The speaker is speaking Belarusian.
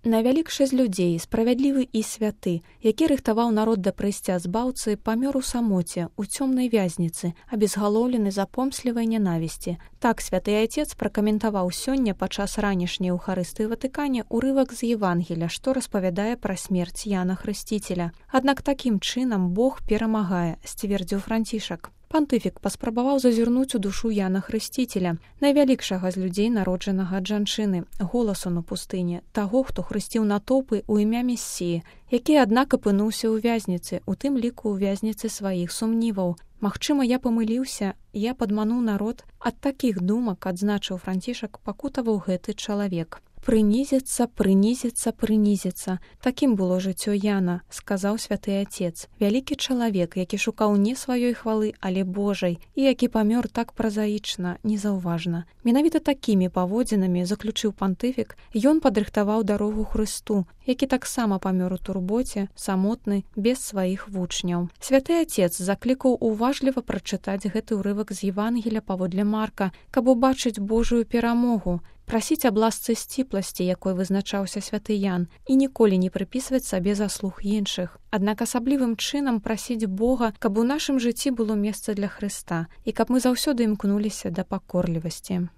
Найвялікшы з людзей, справядлівы і святы, які рыхтаваў народ да прыйсця збаўцы, памёр у самоце, у цёмнай вязніцы, абезгалоўлены за помслівай нянавісці. Так святы Айцец пракаментаваў сёння падчас ранішняй Еўхарыстыі ў Ватыкане урывак з Евангеля, што распавядае пра смерць Яна Хрысціцеля. Аднак такім чынам Бог перамагае, сцвердзіў Францішак. Пантыфік паспрабаваў зазірнуць у душу Яна Хрысціцеля, найвялікшага з людзей, народжанага ад жанчыны, голасу на пустыні, таго, хто хрысціў натоўпы ў імя Месіі, які, аднак, апынуўся ў вязніцы, у тым ліку ў вязніцы сваіх сумніваў. Магчыма, я памыліўся, я падмануў народ. Ад такіх думак, адзначыў Францішак, пакутаваў гэты чалавек. Прынізіцца, прынізіцца, прынізіцца. Такім было жыццё Яна, сказаў святы Айцец. Вялікі чалавек, які шукаў не сваёй хвалы, але Божай, і які памёр так празаічна, незаўважна. Менавіта такімі паводзінамі, заключыў пантыфік, ён падрыхтаваў дарогу Хрысту, які таксама памёр у турботе, самотны, без сваіх вучняў. Святы Айцец заклікаў уважліва прачытаць гэты ўрывак з Евангеля паводле Марка, каб убачыць Божую перамогу, прасіць аб ласцы сціпласці, якой вызначаўся святы Ян, і ніколі не прыпісваць сабе заслуг іншых. Аднак асаблівым чынам прасіць Бога, каб у нашым жыцці было месца для Хрыста і каб мы заўсёды імкнуліся да пакорлівасці.